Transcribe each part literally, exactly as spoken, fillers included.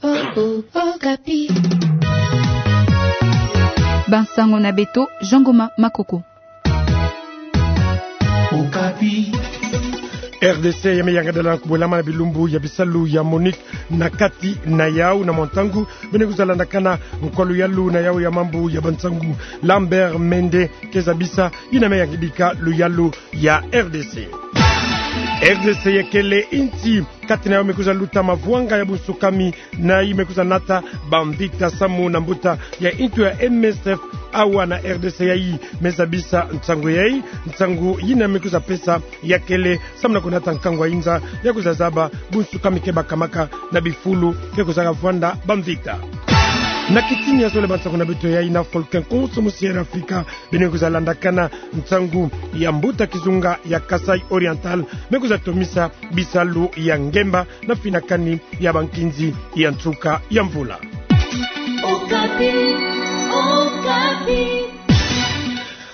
Okapi. Bansango na beto, Jean Ngoma Makoko. Okapi. R D C ya me yangadala kubwelama na bilumbu ya bisalu ya MONUC na kati na yau na mwa ntangu, beno kwiza landakana nkwa luyalu na yau ya mambu ya bansangu Lambert Mende ke zabisa yina me yangidika luyalu ya R D C. R D C ya kele insi kati na yau me kwiza luta mavwanga ya bunsukami, na yi me kwiza nata bamvita samu na mbuta ya insi ya M S F awa na R D C. Ya yi me zabisa nsangu ya yi, nsangu yina me kwiza pesa ya kele samu na kunata nkangu ya inza ya kwiza zaba bunsukami ke bakamaka na bifulu ke kwiza kavwanda bamvita. Na kitini ya zole bansangu na beto ya yi na Falkland konso mu Sierra Afrika, beno kwiza landakana nsangu ya mbuta kizunga ya Kasaï Oriental me kwiza tomisa bisalu ya ngemba na finakani ya bankinzi ya nsuka ya mvula. Okapi, Okapi.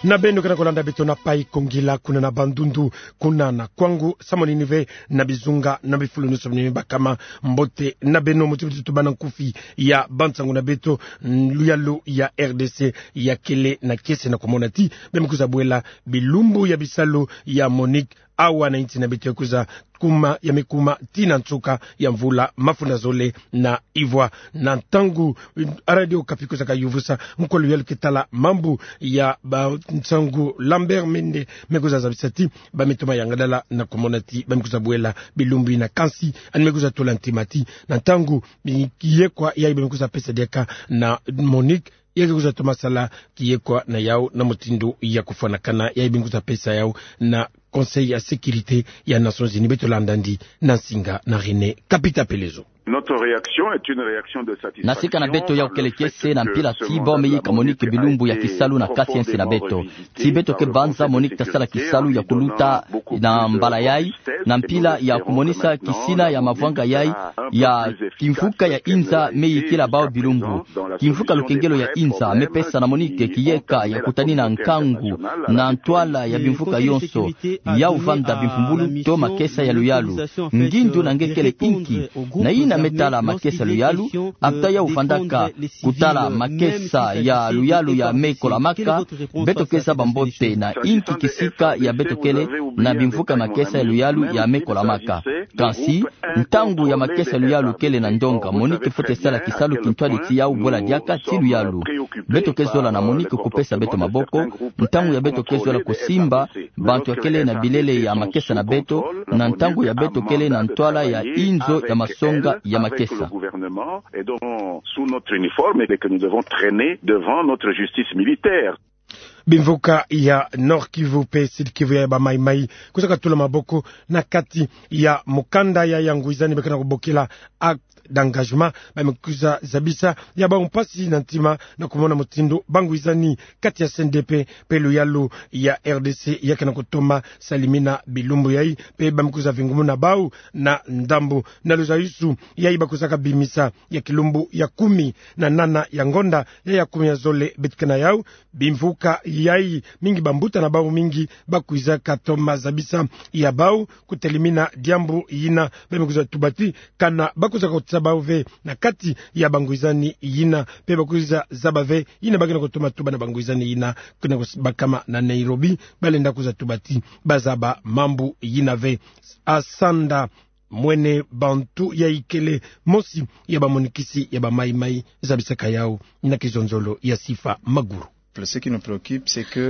Na beno ke na kolanda beto na Paï Kongila kuna na Bandundu, kuna na Kwango, samu na nini ve na bizunga na bifulu nyonso bini bakama. Mbote na beno, muti muti tubana nkufi ya bansangu na beto, mm, luyalu ya R D C ya kele na kiese na kumona ti beno kwiza bwela bilumbu ya bisalu ya MONUC awa na insi na beto ya kwiza kuma, ya me kuma tii na nsuka ya mvula mafunda zole na ivwa. Na ntangu, mm, Radio Okapi kwiza kayuvusa nkwa luyalu ke tala mambu ya bansangu Lambert Mende, me kwiza zabisa ti ba me toma yangadala na kumona ti ba me kwiza bwela bilumbu yina, kansi ani me kwiza tola ntima ti na ntangu, mm, kiyekwa ya yi ba me kwiza pesa diaka na MONUC, ya ke kwiza toma sala kiyekwa na yau na mutindu ya kufwanakana, ya yi ba me kwiza pesa yau na Conseil ya Sécurité ya Nations Unies. Beto landa ndi na nsinga na René Kapita Pelezo. Notre réaction est une réaction de satisfaction. Na sika na beto ya ukele kiese na mpila ti bau me yika MONUC bilumbu ya kisalu na kati ya nsi na beto. Ti beto ke banza MONUC ta sala kisalu ya kuluta na mbala ya yi, na mpila ya kumonisa kisina ya mavwanga ya yi, ya kimvuka ya inza me yikila bau bilumbu. Kimvuka lukengelo ya inza me pesa na MONUC kiyeka ya kutanina nkangu na ntwala ya bimvuka yonso, ya uvanda bimpumbulu to makesa ya luyalu. Ngindu na nge kele inki? Na yina me tala makesa ya luyalu, ata ya uvandaka kutala makesa ya luyalu ya me kolamaka, beto ke zaba mbote na inki kisika ya beto kele na bimvuka makesa ya luyalu ya me kolamaka. Kansi, ntangu ya makesa ya luyalu kele na ndonga, MONUC fwete sala kisalu kintwadi ti ya ubwela diaka ti luyalu. Beto ke zola na MONUC kupesa beto maboko, ntangu ya beto ke zola kusimba bantu ya kele na bilele ya makesa na beto, na ntangu ya beto kele na ntwala ya inzo ya masonga ya makesa. Sous notre uniforme et que nous devons traîner devant notre justice militaire. Bimvuka ya Nord-Kivu pe Sud-Kivu ya ba Maï-Maï kwiza katula maboko na kati ya mukanda ya ya ngwizani ba ke na kubokila acte d'engagement, ba me kwiza zabisa ya bau mpasi na ntima na kumona mutindu ba ngwizani kati ya C N D P pe luyalu ya R D C ya ke na kutoma salimina bilumbu ya yi, pe ba me kwiza vingumuna bau na ndambu na luzayusu ya yi ba kwizaka bimisa ya kilumbu ya kumi na nana ya ngonda ya ya kumi ya zole beto ke na yau. Bimvuka ya yi mingi, bambuta na bau mingi ba kwizaka toma zabisa ya bau kutelimina diambu yina. Ba me kwiza tuba ti kana ba kwizaka kotisa bau ve na kati ya ba ngwizani yina, pe ba kwiza zaba ve yina ba ke na kutoma tuba na ba ngwizani yina ke na kubakama na Nairobi, ba lenda kwiza tuba ti ba zaba mambu yina ve. Asanda Mwene Bantu ya ikele mosi ya ba monikisi ya ba Maï-Maï zabisaka yau na kizonzolo ya Sifa Maguru.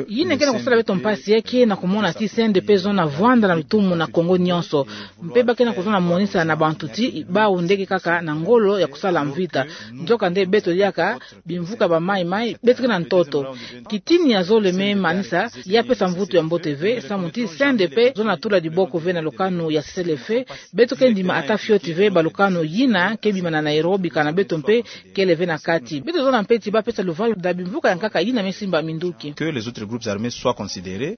Yina ke na kusala beto mpasi ya ke na kumona ti C N D P zona vwanda na lutumu na Kongo nyonso. Mpe ba ke na kuzona monisa na bantu ti bau nde ke kaka na ngolo ya kusala mvita. Nzokande beto diaka bimvuka ba Maï-Maï, beto ke na ntoto. Kitini ya zole me manisa, ya pesa mvutu ya mbote ve, samu ti C N D P zona tula diboko ve na lukanu ya sesele-feu. Beto ke ndima ata fioti ve balukanu yina ke bima na Nairobi, kana beto mpe kele ve na kati. Beto zona mpe ti ba pesa luvalu na bimvuka ya nkaka yina me simba minduki. Que les autres groupes armés soient considérés.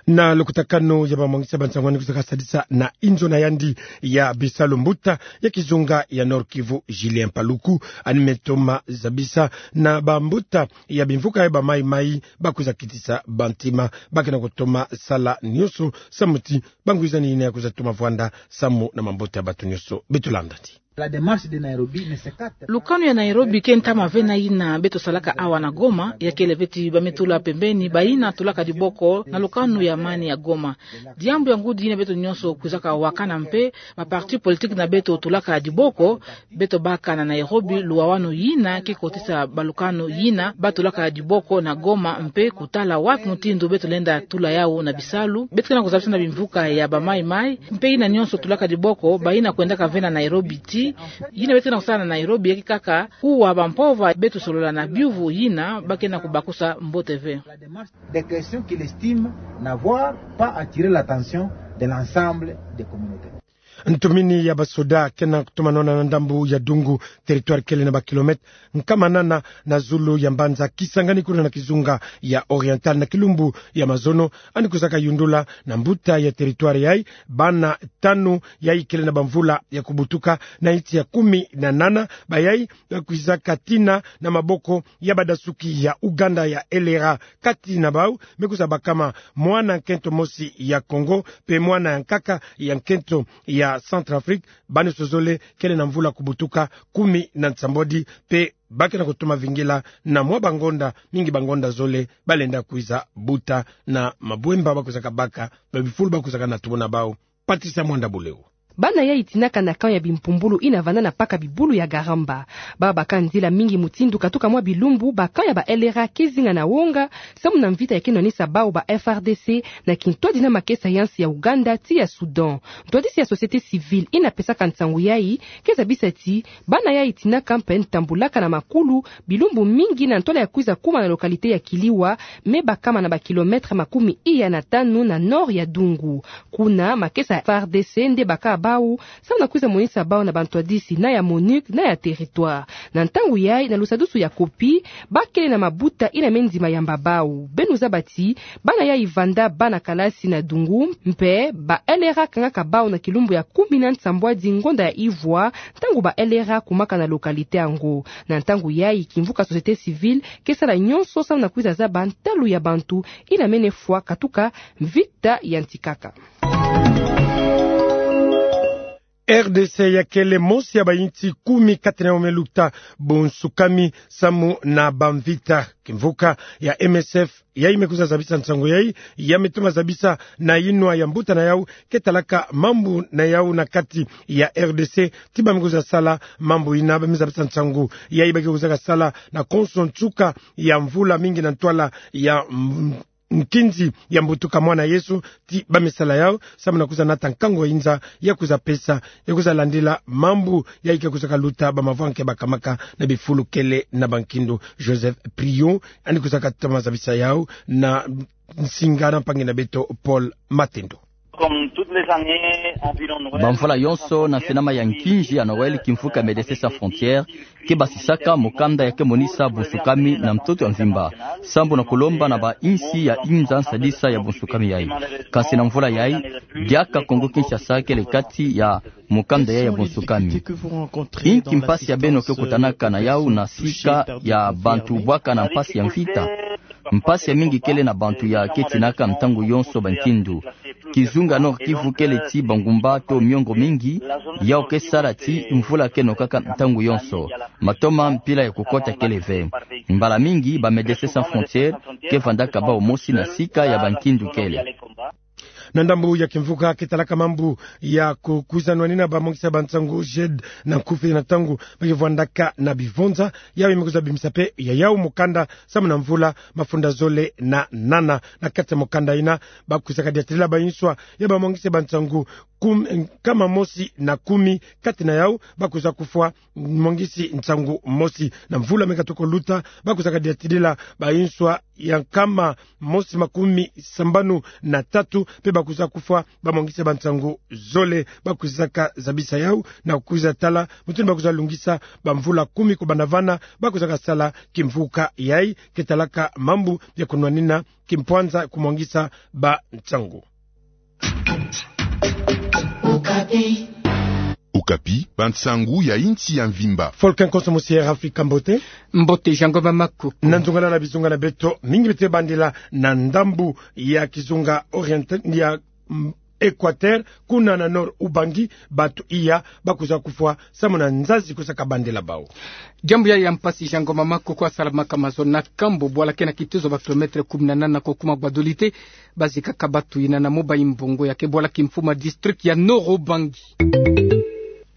Na lukutakanu ya ba mwangisa ba nsangwani kuzaka sadisa na inzo na yandi ya bisalu, mbuta ya kizunga ya Nord-Kivu, Julien Paluku, ani me toma zabisa na bambuta ya bimvuka ya ba Maï-Maï ba kwiza kitisa bantima, ba ke na kutoma sala nyonso samu ti bangwizani yina ya kwiza toma vwanda samu na mabota ya bato nyonso. Beto landa ti. La démarche de Nairobi ne s'écarte. Lukanu ya Nairobi ke ntama ve na yina beto salaka awa na Goma, ya kele ve ti ba me tula pembeni bayina tulaka diboko na lukanu ya amani ya Goma. Diambu ya ngudi yina beto nyonso kwizaka wakana mpe ba parti politique na beto tulaka diboko, beto baka na Nairobi luwawanu yina ke kotisa ba lukanu yina ba tulaka diboko na Goma mpe kutala wapi mutindu beto lenda tula yawu na bisalu. Beto ke na kuzabisa na bimvuka ya ba Mai Mai mpe yina nyonso tulaka diboko, bayina kwendaka ve na Nairobi ti, yina beto ke na kusala na Nairobi ya ke kaka kuwa ba mpova beto solola na biuvu yina ba ke na kubakusa mbote ve. Des questions qu'il estime n'avoir pas attiré l'attention de l'ensemble des communautés. Ntumini ya basoda ke na kutumanona na ndambu ya Dungu, territoire kele na ba kilomètre nkama nana na zulu ya mbanza Kisangani kuna na kizunga ya Oriental na kilumbu ya mazono, yandi kwizaka yundula na mbuta ya territoire yayi bana tanu yayi kele na bamvula ya kubutuka na insi ya kumi na nana, bayayi ba kwizaka tina na maboko ya badasuki ya Uganda ya L R A. Kati na bawu me kwiza bakama mwana nkento mosi ya Congo mpe mwana ya nkaka ya nkento ya Centrafrique, bawu nyonso zole kele na mvula kubutuka kumi na nsambwadi, mpe ba ke na kutoma vingila na mwa bangonda, mingi bangonda zole ba lenda kwiza buta na mabwemba ba kwizaka baka, ba bifulu ba kwizaka na tubu na bawu. Patricia Mwanda Buleu. Bana yayi tinaka na camp ya bimpumbulu yina vanda na paka bibulu ya Garamba. Ba baka nzila mingi mutindu katuka mwa bilumbu ba camp ya ba L R A ke zinga na wonga, samu na mvita ya ke nwanisa bawu ba F R D C na kintwadi na makesa ya nsi ya Uganda ti ya Soudan. Ntwadisi ya société civile yina pesaka nsangu yayi ke zabisa ti bana yayi tinaka mpe ntambulaka na makulu bilumbu mingi na ntwala ya kwiza kuma na localité ya Kiliwa, me bakama na ba kilomètre makumi iya na tanu na nord ya Dungu. Kuna makesa ya F R D C nde baka bawu, samu na kwiza monisa bawu na bantwadisi na ya MONUC na ya territoire. Na ntangu yayi na lusadusu ya kopi, ba kele na mabuta yina me ndima yamba bawu. Beno zaba ti bana yayi vanda bana kalasi na Dungu, mpe ba L R A kangaka bawu na kilumbu ya kumi na nsambwadi ngonda ya ivwa, ntangu ba L R A kumaka na localité yango. Na ntangu yayi kimvuka société civile ke sala nyonso samu na kwiza zaba ntalu ya bantu yina mene fwa katuka mvita ya ntikaka. R D C ya kele mosi ya bayinsi kumi kati na yawu me luta bunsukami samu na bamvita. Kimvuka ya M S F yayi me kwiza zabisa nsangu yayi, ya me toma zabisa na yinwa ya mbuta na yawu ke talaka mambu na yawu na kati ya R D C, ti ba me kwiza sala mambu yina. Ba me zabisa nsangu yayi ba ke kwizaka sala na konso nsuka ya mvula mingi na ntwala ya m- nkinzi ya mbutuka mwana Yesu, ti ba me sala yawu samu na kwiza nata nkangu ya inza ya kwiza pesa, ya kwiza landila mambu yayi ke kwizaka luta bamavwa nke bakamaka na bifulu kele na bankindu. Joseph Priot yandi kwizaka toma zabisa yawu na nsinga na mpangi na beto Paul Matendo. Bamvula yonso, na finama ya nkinzi ya Noël, kimvuka Médecins Sans Frontières ke basisaka mukanda ya ke monisa bunsukami na ntoto ya mvimba, sambu na kulomba na bayinsi ya inza nsadisa ya bunsukami yayi. Kansi na mvula yayi, diaka Congo Kinshasa kele kati ya mukanda yayi ya bunsukami. Inki mpasi ya beno ke kutanaka na yawu na sika ya bantu bwaka na mpasi ya mvita? Mpasi ya mingi kele na bantu ya ke tinaka ntangu yonso bankindu. Kizunga Nord-Kivu kele ti bangumba to miongo mingi, yawu ke sala ti mvula ke nokaka ntangu yonso. Matoma mpila ya kukota kele ve. Mbala mingi ba Médecins Sans Frontières ke vandaka bawu mosi na sika ya bankindu kele. Na ndambu ya kimvuka ke talaka mambu ya ku- kwiza nwanina bamongisi ya bansangu, JED, na nkufi na ntangu ba ke vwandaka na bivonza, yawu me kwiza bimisa mpe ya yawu mukanda samu na mvula mafunda zole na nana. Na kati ya mukanda yina, ba kwizaka diatilila bayinswa ya bamongisi ya bansangu kum- nkama mosi na kumi, kati na yawu ba kwiza kufwa mongisi nsangu mosi. Na mvula me katuka luta, ba kwizaka diatilila bayinswa ya nkama mosi makumi sambanu na tatu, mpe ba kwiza kufwa bamongisi ya bansangu zole. Ba kwizaka zabisa yawu na kwiza tala mutindu ba kwiza lungisa bamvula kumi kubanda vana ba kwizaka sala kimvuka yayi ke talaka mambu ya kunwanina kimpwanza kumongisa bansangu. Okapi, bansangu ya insi ya mvimba. Volcan Konso mosi ya Air Afrika, mbote. Mbote, Jean Ngoma Makuku. Na nzungalala bizunga na beto, mingi beto ke bandila na ndambu ya kizunga Oriental ya, mm, Equateur, kuna na Nord-Ubangi, bato iya bakwiza kufwa samu na nzazi kwiza kabandela bau. Diambu yayi ya mpasi, Jean Ngoma Makoko asalamaka mazono na Kambo, bwala ke na kitezo ba kilomètre kumi na nana ko kuma Gbadolite, bazikaka bato yina na moba imbongo, ya ke bwala kimfumu ya district ya Nord-Ubangi.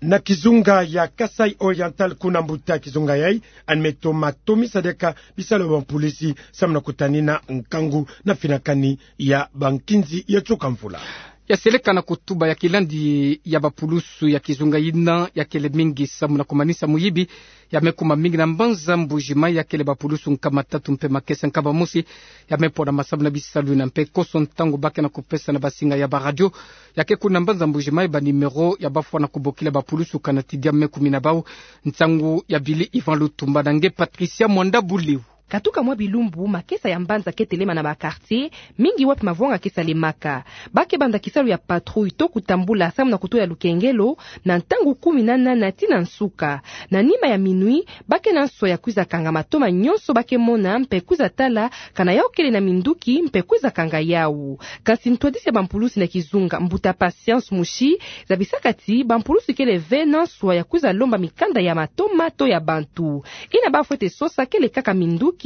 Na kizunga ya Kasaï Oriental, kuna mbuta kizunga yayi, ani me toma tomisa diaka bisalu ya bampulisi samu na kutanina nkangu na finakani ya bankinzi ya tsoka mvula. Ya seleka na kutuba ya kilandi ya bapulusu ya kizunga yina, ya kele mingi samu na kumanisa muyibi ya me kuma mingi na mbanza Mbuji-Mayi, ya kele bapulusu nkama tatu mpe makesa nkama mosi ya me pona masamu na bisalu yina. Mpe koso ntangu ba ke na kupesa na basinga ya baradio ya ke kuna mbanza Mbuji-Mayi banuméro ya bafwana kubokila bapulusu kana tidia me kumina bau, nsangu ya Billy Yvan Lutumba na nge Patricia Mwanda Buleu. Katuka mwa bilumbu, makesa ya mbanza ke telema na ba quartier mingi wapi mavwanga ke salemaka. Ba ke banda kisalu ya patrouille to kutambula samu na kutola lukengelo na ntangu kumi na nana tii na nsuka. Na nima ya minuit, ba ke na nswa ya kwiza kanga matoma nyonso ba ke mona mpe kwiza tala kana yau kele na minduki mpe kwiza kanga yau. Kansi ntwadisi ya bampulusi na kizunga, mbuta Patience Mushi, zabisaka ti bampulusi kele ve na nswa ya kwiza lomba mikanda ya matoma to ya bantu. Yina ba fwete sosa kele kaka minduki,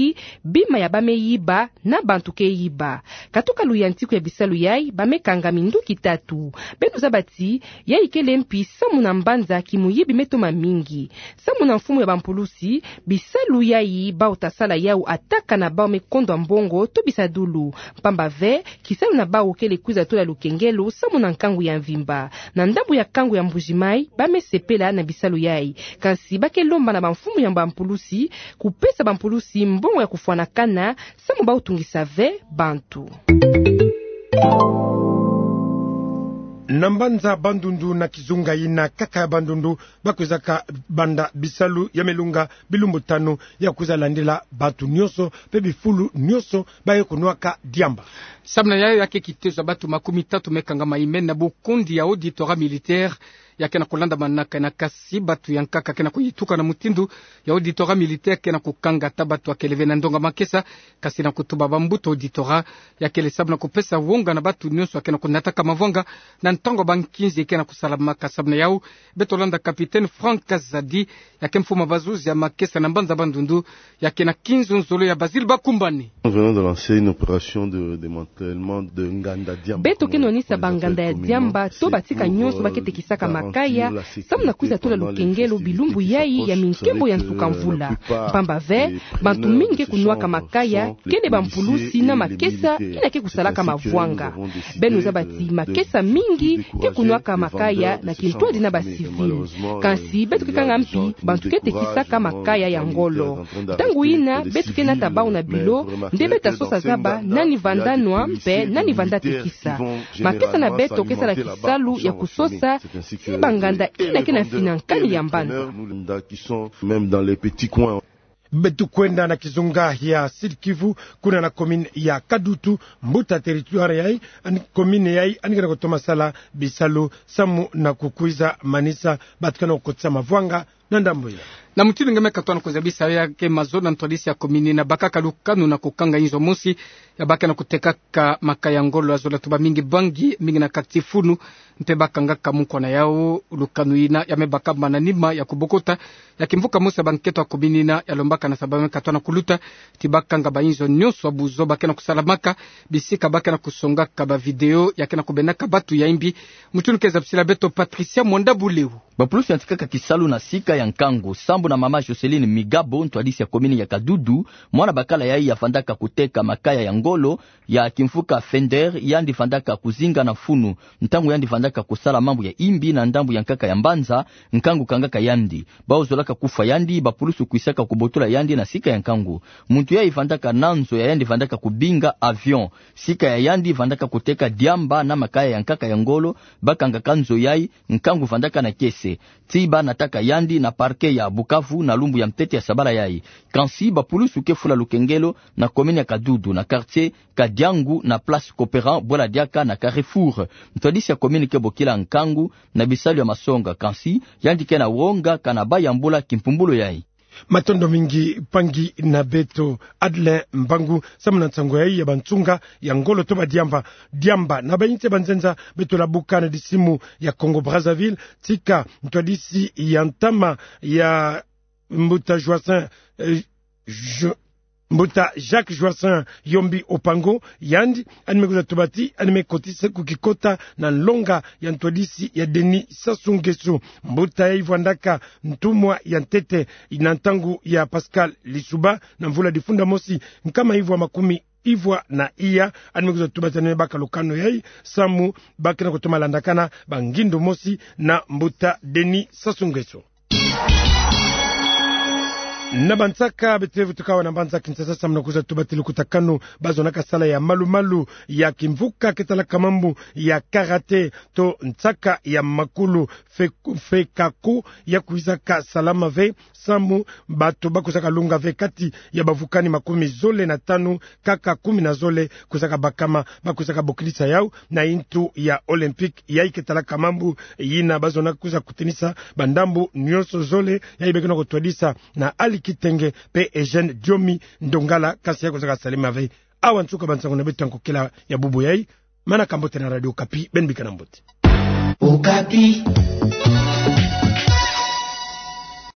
bima ya ba me yiba na bantu ke yiba. Katuka luyantiku ya bisalu yayi, ba me kanga minduki tatu. Beno zaba ti yayi kele mpi samu na mbanza kimuyibi me toma mingi. Samu na mfumu ya bampulusi, bisalu yayi bau ta sala yau ata kana bau me kondwa mbongo to bisadulu. Mpamba ve, kisalu na bau kele kwiza tola lukengelo samu na nkangu ya mvimba. Na ndambu ya nkangu ya Mbuji-Mayi, ba me sepela na bisalu yayi. Kansi ba ke lomba na bamfumu ya bampulusi kupesa bampulusi mbongo ya kufwanakana samu bau tungisa ve bantu. Na mbanza Bandundu, na kizunga yina kaka ya Bandundu, ba kwizaka banda bisalu ya me lunga bilumbu tanu, ya kwiza landila bantu nyonso mpe bifulu nyonso ba ye kunwaka diamba. Samu na yayi, ya ke kitezo ya bantu makumi tatu me kangama yimeni na bukundi ya auditorat militaire ya ke na kulandamanaka yina, kansi bantu ya nkaka ke na kuyituka na mutindu ya auditorat militaire ke na kukanga ata bantu ya kele ve na ndonga makesa, kansi na kutuba bambuta auditorat, ya kele samu na kupesa wonga na bantu nyonso ya ke na kunataka mavwanga na ntangu ya bankinzi ke na kusalamaka. Samu na yau, beto landa capitaine Franck Kazadi, ya ke mfumu ya bazuzi ya makesa na mbanza Bandundu, ya ke na kinzonzolo ya Basile Bakumbane. Nous venons de lancer une opération de démantèlement de nganda diamba. Beto ke nwanisa banganda ya diamba to batika nyonso ba ke tekisaka makaya, samu na kwiza tola lukengelo bilumbu yayi ya minkembo ya nsuka mvula. Mpamba ve, bantu mingi ke kunwaka makaya kele bampulusi na makesa yina ke kusalaka mavwanga. Beno zaba ti makesa mingi ke kunwaka makaya na kintwadi na bacivil. Kansi beto ke kanga mpi bantu ke tekisaka makaya ya ngolo. Ntangu yina beto ke nata bau na bilo, nde beta sosa zaba nani vanda nwa mpe nani vanda tekisa. Makesa na beto ke sala kisalu ya kusosa ti banganda yina ke na finankani ya mbanza. Même dans les petits coins. Beto kwenda na kizunga ya Sud-Kivu, kuna na commune ya Kadutu, mbuta territoire yayi, ani commune yayi ani ke na kutoma sala bisalu samu na kukwiza manisa bantu ke na kukotisa mavwanga na ndambu yina. Na mutindu nge me katuka na kuzabisa, ya ke mazono na ntwadisi ya commune yina, bakaka lukanu na kukanga inzo mosi ya ba ke na kutekaka makaya ya ngolo. Azola tuba mingi bangi, mingi na quartier Funu, mpe ba kangaka munkwa na yau. Lukanu yina ya me bakama na nima ya kubokota ya kimvuka mosi ya bankento ya commune yina, ya lombaka na sababu me katuka na kuluta ti ba kanga bainzo nyonso ya buzo ba ke na kusalamaka, bisika ba ke na kusongaka bavidéo ya ke na kubendaka bantu ya imbi. Mutindu ke zabisila beto Patricia Mwanda Buleu. Bapulusu yantikaka kisalu na sika ya nkangu. Sambu na mama Jocelyne Migabo, ntwadisi ya commune ya Kadutu, mwana bakala yayi yavandaka kuteka makaya ya ngolo ya kimvuka Fender, yandi vandaka kuzinga na Funu. Ntangu yandi vandaka kusala mambu ya imbi na ndambu ya nkaka ya mbanza, nkangu kangaka yandi. Bau zolaka kufwa yandi, bapulusu kwisaka kubotola yandi na sika ya nkangu. Muntu yayi vandaka na nzo ya yandi vandaka kubinga avion. Sika ya yandi vandaka kuteka diamba na makaya ya nkaka ya ngolo, ba kangaka nzo yayi, nkangu vandaka na kiese. Ti ba nataka yandi na parquet ya Bukavu na lumbu ya ntete ya sabala yayi. Kansi bapulusu ke fula lukengelo na commune ya Kadutu, na quartier Kadiangu, na place Cooperant, bwela diaka na Carrefour. Ntwadisi ya commune ke bokila nkangu na bisalu ya masonga, kansi yandi ke na wonga kana ba yambula kimpumbulu yayi. Matondo mingi, mpangi na beto Adlin Mbangu, samu na nsangu yai ya bansunga ya ngolo to badiamba, diamba na bainti ya banzenza beto labuka na disimu ya Congo Brazzaville, tika ntwadisi ya ntama ya mbuta Joacin, eh, Jo-, mbuta Jacques Joacin Yombi Opango, yandi yandi me kwiza tubati, yandi me kotisa ku kikota na nlonga ya ntwadisi ya Denis Sassou Nguesso. Mbuta yai vwandaka ntumwa ya ntete na ntangu ya Pascal Lissouba na mvula difunda mosi nkama ivwa makumi ivwa na iya. Yandi me kwiza tubati, yandi me baka lukanu yai samu ba ke na kutoma landakana bangindu mosi na mbuta Denis Sassou Nguesso. Na bansaka beto vutuka awa na mbanza Kinshasa samu na kwiza tubati lukutakanu bazonaka sala ya malu-malu ya kimvuka ke talaka mambu ya karaté to nsaka ya makulu, fe-, FECACO, ya kwizaka salama ve samu bato ba kwizaka lunga ve kati ya bavukani makumi zole na tanu, kaka kumi na zole kwizaka bakama. Ba kwizaka bokilisa yau na intu ya Olympique, yai ke talaka mambu yina bazona kwiza kutanisa bandambu nyonso zole, yai be ke na kutwadisa na Ali Kitenge pe Eugène Diomi Ndongala, kansi ya kwizaka salama ve. Awa nsuka bansangu na beto ya nkokila ya bubu yai. Manaka mbote na Radio Okapi, beno bika na mbote. Okapi.